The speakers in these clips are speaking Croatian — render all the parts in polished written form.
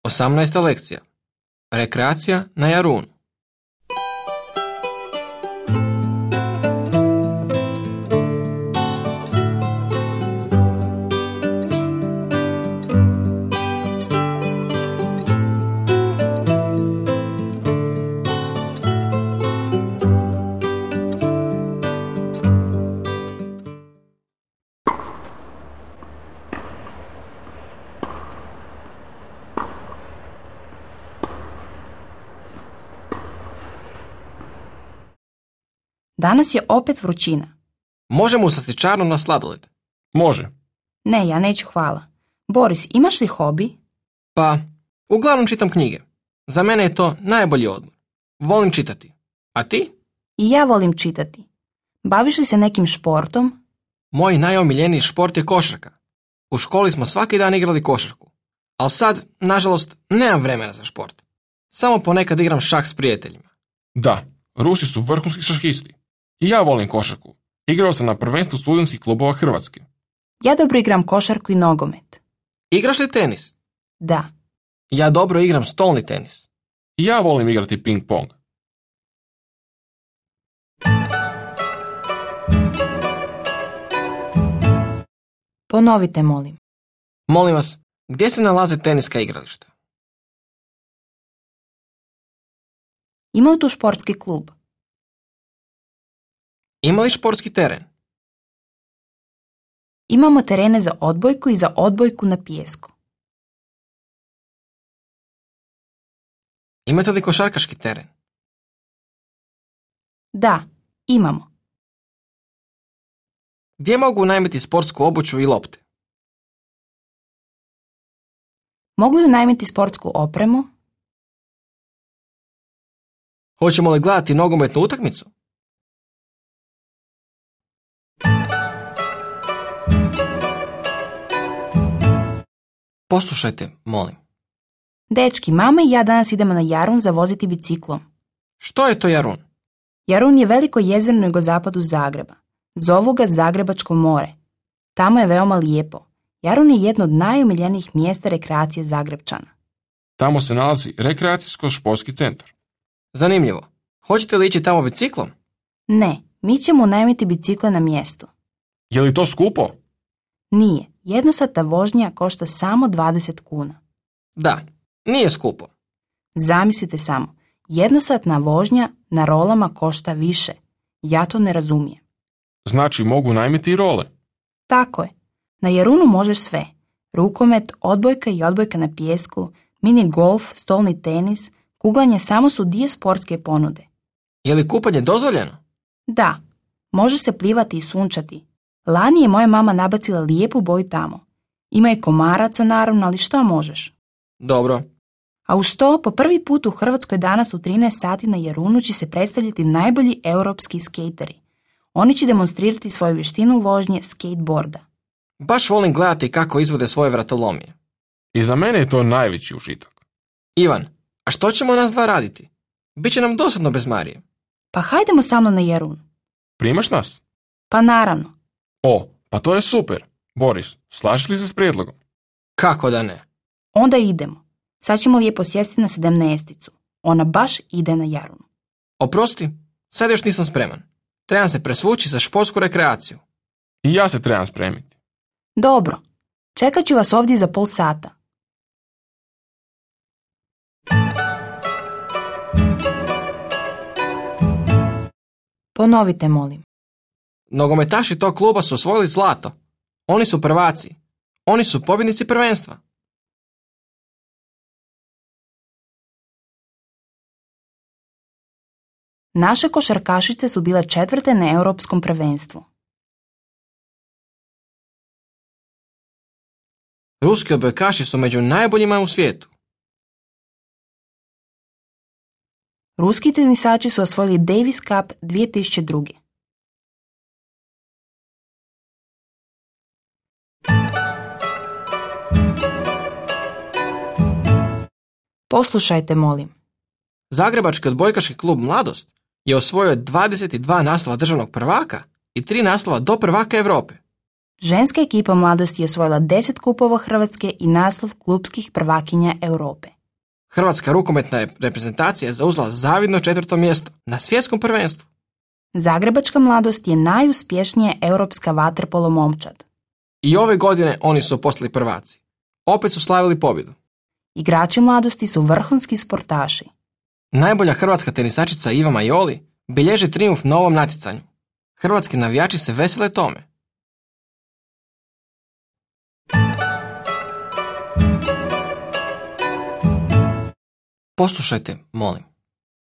18. lekcija. Rekreacija na Jarunu. Danas je opet vrućina. Možemo u slastičarnu na sladoled. Može. Ne, ja neću, hvala. Boris, imaš li hobi? Pa, uglavnom čitam knjige. Za mene je to najbolji odmor. Volim čitati. A ti? I ja volim čitati. Baviš li se nekim športom? Moj najomiljeniji šport je košarka. U školi smo svaki dan igrali košarku. Ali sad, nažalost, nemam vremena za šport. Samo ponekad igram šah s prijateljima. Da, Rusi su vrhunski šahisti. I ja volim košarku. Igrao sam na prvenstvu studentskih klubova Hrvatske. Ja dobro igram košarku i nogomet. Igraš li tenis? Da. Ja dobro igram stolni tenis. I ja volim igrati ping-pong. Ponovite, molim. Molim vas, gdje se nalaze teniska igrališta? Ima li tu športski klub? Ima li športski teren? Imamo terene za odbojku i za odbojku na pijesku. Imate li košarkaški teren? Da, imamo. Gdje mogu unajmiti sportsku obuću i lopte? Mogu li unajmiti sportsku opremu? Hoćemo li gledati nogometnu utakmicu? Poslušajte, molim. Dečki, mama i ja danas idemo na Jarun zavoziti biciklom. Što je to Jarun? Jarun je veliko jezero na jugozapadu Zagreba. Zovu ga Zagrebačko more. Tamo je veoma lijepo. Jarun je jedno od najomiljenijih mjesta rekreacije Zagrebčana. Tamo se nalazi rekreacijsko-športski centar. Zanimljivo. Hoćete li ići tamo biciklom? Ne, mi ćemo unajmiti bicikle na mjestu. Je li to skupo? Nije. Jednosatna vožnja košta samo 20 kuna. Da, nije skupo. Zamislite samo, jednosatna vožnja na rolama košta više. Ja to ne razumijem. Znači mogu unajmiti i role. Tako je. Na Jarunu možeš sve. Rukomet, odbojka i odbojka na pijesku, mini golf, stolni tenis, kuglanje samo su dio sportske ponude. Je li kupanje dozvoljeno? Da, može se plivati i sunčati. Lani je moja mama nabacila lijepu boju tamo. Ima je komaraca naravno, ali što možeš? Dobro. A uz to, po prvi put u Hrvatskoj danas u 13 sati na Jarunu će se predstavljati najbolji europski skejteri. Oni će demonstrirati svoju vještinu vožnje skateboarda. Baš volim gledati kako izvode svoje vratolomije. I za mene je to najveći užitak. Ivan, a što ćemo nas dva raditi? Biće nam dosadno bez Marije. Pa hajdemo sa mnom na Jarun. Primaš nas? Pa naravno. O, pa to je super. Boris, slažeš li se s prijedlogom? Kako da ne? Onda idemo. Sad ćemo lijepo sjesti na 17. Ona baš ide na Jarun. Oprosti, sad još nisam spreman. Trebam se presvući za športsku rekreaciju. I ja se trebam spremiti. Dobro. Čekat ću vas ovdje za pol sata. Ponovite, molim. Nogometaši tog kluba su osvojili zlato. Oni su prvaci. Oni su pobjednici prvenstva. Naše košarkašice su bile 4. na europskom prvenstvu. Ruski odbojkaši su među najboljima u svijetu. Ruski tenisači su osvojili Davis Cup 2002. Poslušajte, molim. Zagrebački odbojkaški klub Mladost je osvojio 22 naslova državnog prvaka i 3 naslova do prvaka Europe. Ženska ekipa Mladosti je osvojila 10 kupova Hrvatske i naslov klupskih prvakinja Europe. Hrvatska rukometna reprezentacija je zauzela zavidno 4. mjesto na svjetskom prvenstvu. Zagrebačka mladost je najuspješnija europska vaterpolo momčad. I ove godine oni su postali prvaci. Opet su slavili pobjedu. Igrači mladosti su vrhunski sportaši. Najbolja hrvatska tenisačica Iva Majoli bilježi trijumf na ovom natjecanju. Hrvatski navijači se vesele tome. Poslušajte, molim.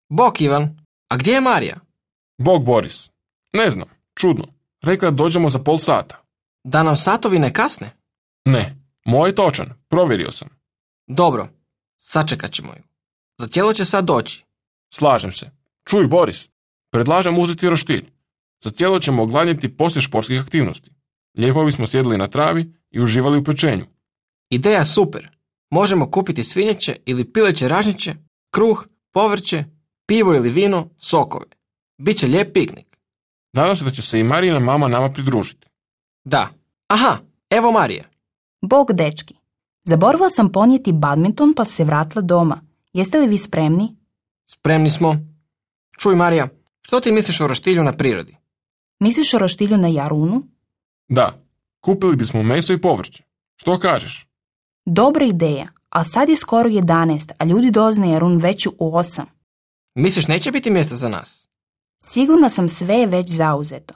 Bok, Ivan, a gdje je Marija? Bog Boris. Ne znam, čudno. Rekla da dođemo za pol sata. Da nam satovi ne kasne? Ne, moj je točan, provjerio sam. Dobro, sačekat ćemo ju. Za tijelo će sad doći. Slažem se. Čuj, Boris, predlažem uzeti roštilj. Za tijelo ćemo ogladnjeti poslije športskih aktivnosti. Lijepo bismo sjedili na travi i uživali u pečenju. Ideja super. Možemo kupiti svinjeće ili pileće ražnjiće, kruh, povrće, pivo ili vino, sokove. Biće lijep piknik. Nadam se da će se i Marijina mama nama pridružiti. Da. Aha, evo Marija. Bog, dečki. Zaboravila sam ponijeti badminton pa se vratila doma. Jeste li vi spremni? Spremni smo. Čuj, Marija, što ti misliš o roštilju na prirodi? Misliš o roštilju na Jarunu? Da, kupili bismo meso i povrće. Što kažeš? Dobra ideja, a sad je skoro 11, a ljudi dolaze na Jarun već u 8. Misliš neće biti mjesta za nas? Sigurna sam, sve je već zauzeto.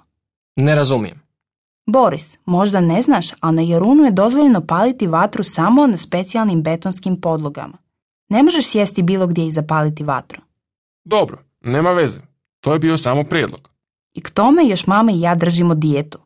Ne razumijem. Boris, možda ne znaš, ali na Jarunu je dozvoljeno paliti vatru samo na specijalnim betonskim podlogama. Ne možeš sjesti bilo gdje i zapaliti vatru. Dobro, nema veze. To je bio samo prijedlog. I k tome još mama i ja držimo dijetu.